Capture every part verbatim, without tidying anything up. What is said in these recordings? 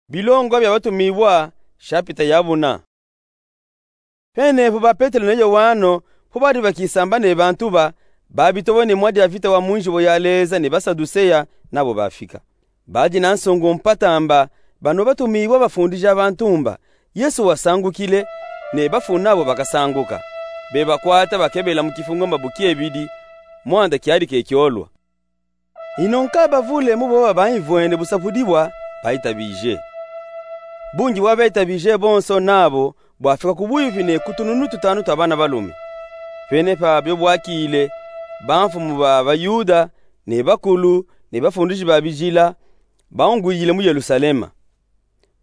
Bilongo bia batumiwua, shapita ya buna. Pene po ba Petelo ne Yoano, po badi bakisamba ne bantu ba, babitobone mwa diavita wa mu nzibo ya Leza ne Basaduseya, nabo bafika. Badi na nsungu mpata mba, bano batumiwua bafundija bantu mba Yesu wasangukile, ne bafu nabo bakasanguka. Bebakwata bakebela mu kifungo mba bukiebidi, mwanda kiadi kekiolwa. Ino nka bavule mu boba baimvwene busapudibwa, baitabije. Bungi bwa baitabije bonso nabo bwafika ku buyupi ne ku tununu tutanu twa bana balume. Pene pa bio bwakile, bamfumu ba Bayuda, ne bakulu, ne bafundiji ba bijila, baungwidile mu Yelusalema.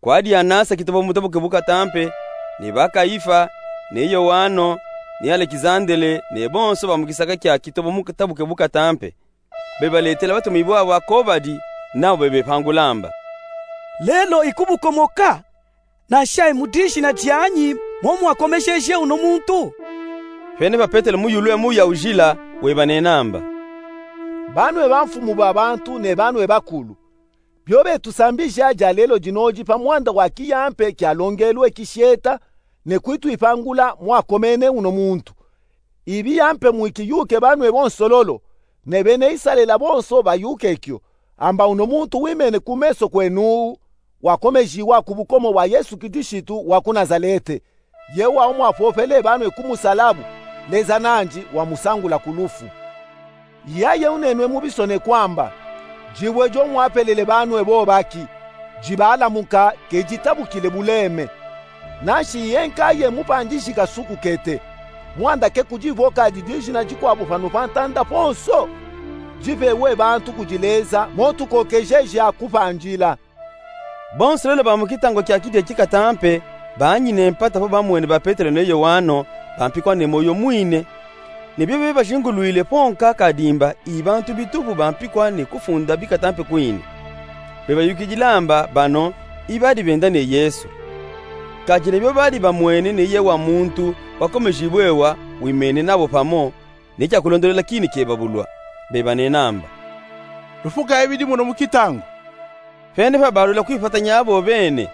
Kwadi Anasa kitobo mutabuke bu katampe, ne ba Kayifa, ne Yoano, ne Alekizandele, ne bonso ba mu kisaka kia kitobo mutabuke bu katampe. Bebaletela batumiwua babo ako badi, nabo bebepangula mba: Lelo ikubukomoka, nansha i mu dijina dianyi mo mwakomejeje uno muntu? Pene pa Petelo muyulwe muya ujila, webanena mba: Banwe bamfumu ba bantu ne banwe bakulu, bio betusambija dia lelo dinodi pa mwanda wa kiyampe kialongelwe kisheta, ne kwituipangula mwakomene uno muntu. Ibi yampe mwikiyuke banwe bonso lolo, ne bene Isalela bonso bayuke kio, amba uno muntu wimene ku meso kwenu, wakomejiwa ku bukomo bwa Yesu Kilisitu wa ku Nazalete, ye wau mwapopele banwe ku musalabu, Leza nandi wamusangula ku lufu. Yaye unenwe mu bisonekwa amba: Dibwe dio mwapelele banwe bobaki, dibalamuka, ke ditabukile buleme. Nanshi ye nkaye mupandiji kasuku kete, mwanda ke kudivoka di dijina dikwabu pano pa ntanda ponso? Dipewe bantu kudi Leza mo tukokejeja kupandila. Bonso lelo ba mu kitangu kia kidi eki katampe, banyine mpata po bamwene ba Petelo ne Yoano, bampikwa ne moyo mwine. Ne bio bebajingulwile po nka kadimba i bantu bitupu bampikwa ne kufunda bi katampe kwine. Bebayukidila mba bano i badi benda ne Yesu. Kadi ne bio badi bamwene ne ye wa muntu wakomejibwe wa wimene nabo pamo, ne kia kulondolela kini kebabulwa. Bebanena mba: Lufuka ibidi muno mu kitangu. Pene pa balwila kwipatanya abo bene,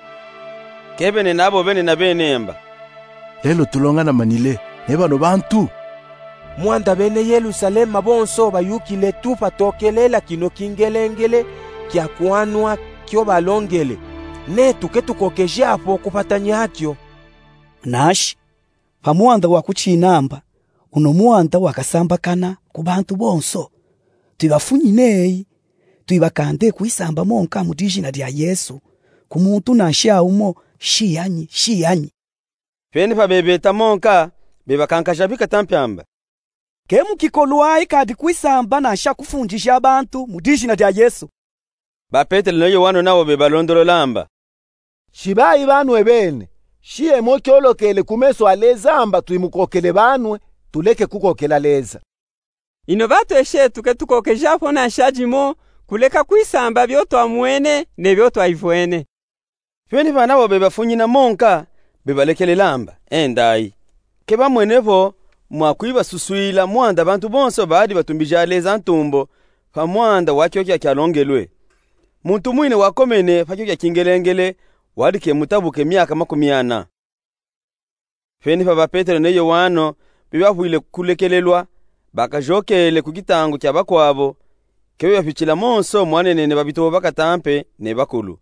ke benena abo bene na bene mba: Lelo tulonganamanile ne bano bantu? Mwanda bene Yelusalema bonso bayukile tu patokelela kino kingelengele kia kwanwa kio balongele, netu ke tukokeja po kupatanya kio. Nanshi, pa mwanda wa kutina mba, uno mwanda wakasambakana ku bantu bonso, tuibafunyine eyi, tuibakande kwisamba mo nka mu dijina dia Yesu, ku muntu nansha umo, shiyanyi, shiyanyi. Pene pa bebeta mo nka, bebakankaja bi katampe amba: Ke mukikolwayi kadi kwisamba nansha kufundija bantu mu dijina dia Yesu. Ba Petelo ne Yoano nabo bebalondolola mba: Shibayi banwe bene, shiye mo kiolokele ku meso a Leza amba tuimukokele banwe, tuleke kukokela Leza. Ino batweshi etu ke tukokeja po nansha dimo, kuleka kwisamba bio twamwene ne bio twaivwene. Pene pa nabo bebafunyina mo nka, bebalekelela mba: Endayi. Ke bamwene po mwa kwibasuswila mwanda bantu bonso badi batumbija Leza ntumbo pa mwanda wa kio kia kialongelwe: Muntu mwine wakomene pa kio kia kingelengele, wadi ke mutabuke miaka makumi ana. Pene pa ba Petelo ne Yoano bebavwile kulekelelwa, bakajokele ku kitangu kia bakwabo, ke bebapitila monso mwanenene babitobo ba katampe ne bakulu.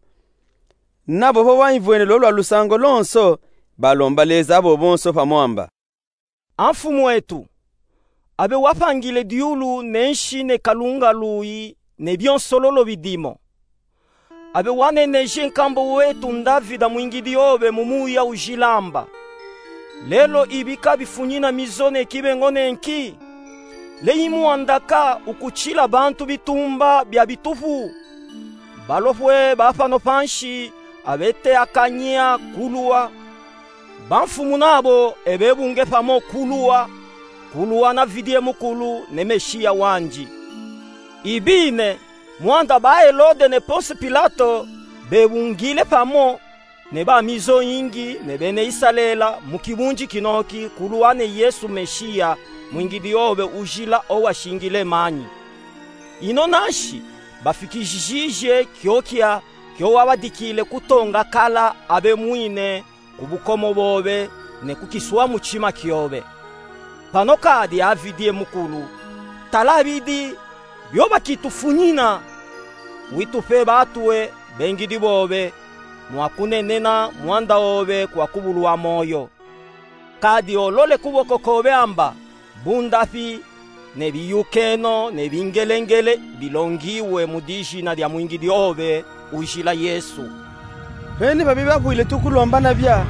Nabo po baimvwene lo lwa lusangu lonso, balomba Leza abo bonso pamo amba: A Mfumu etu, abe wapangile diulu ne nsi ne kalunga luyi ne bionso lolo bidimo. Abe waneneje nkambo wetu Ndavida mwingidi obe mu muya ujila amba: Lelo ibi kabifunyina mizo ne kibengo ne nki? Leyi mwanda ka ukutila bantu bitumba bia bitupu? Balopwe ba pano pansi abe teakanya kuluwa. Bamfumu nabo ebe bunge pamo kuluwa, kuluwa na vidie mukulu ne Mesiya wandi. Ibine, mwanda ba Helode ne Ponsi Pilato bebungile pamo, ne ba mizo yingi ne bene Isalela mu kibundi kinoki kuluwa ne Yesu Mesiya, mwingidi obe ujila owashingile manyi. Ino nansi, bafikijijije kiokia kio wabadikile kutonga kala abemwine ku bukomo bobe ne ku kiswa mutima kiobe. Pano kadi avidie mukulu, tala bidi bio bakitufunyina. Witupe batue bengidi bobe mwa kunenena mwanda obe kwa kubulwa moyo. Kadi olole kuboko kobe amba bundapi ne biyukeno ne bingelengele bilongiwe mu dijina dia mwingidi obe ujila Yesu. Bene babi bapwile tukulomba na bia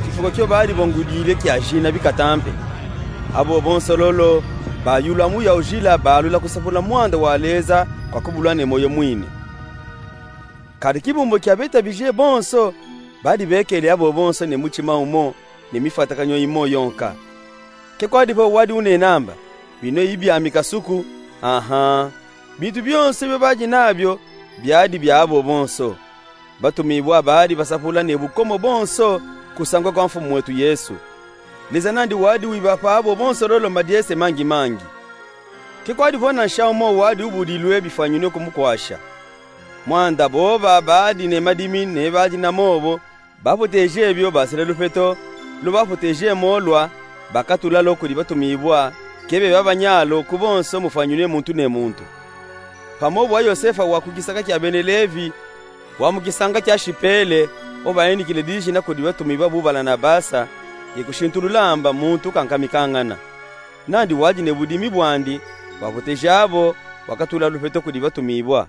kifuko kio badi bongudile kia jina bikatampe. Abo bonso lolo bayula muya ujila balula kusapula mwanda wa Leza kwa kubulwa ne moyo mwine. Kadi kibumbu kia betabije bonso badi bekele abo bonso ne mutima umo ne mifwatakanyo imo yonka. Ke kwadi vo wadi unena amba, bino i biami kasuku, aha, bintu bionso bio badi nabio biadi bia abo bonso. Batumibwa badi basapula ne bukomo bonso kusangwa kwa Mfumu wetu Yesu. Leza nandi wadi wibapa abo bonso lolo madiese mangi mangi. Ke kwadi vo na nsha umo wadi ubudilwe bifwanyinwe kumukwasha. Mwanda boba badi ne madimi ne badi na mobo, bapoteje bio basila lupeto lo bapoteje mo lwa bakatula lo kudi batumibwa, ke beba banyalu ku bonso mufwanyinwe muntu ne muntu. Pamo bwa Yosefa wa ku kisaka kia bene Levi, wa mu kisanga kia Sipele, o bayinikile dijina kudi batumibwa bu Balanabasa, ye kushintulula amba muntu kankamikangana. Nandi wadi ne budimi bwandi, wapoteje abo, wakatula lupeto kudi batumibwa.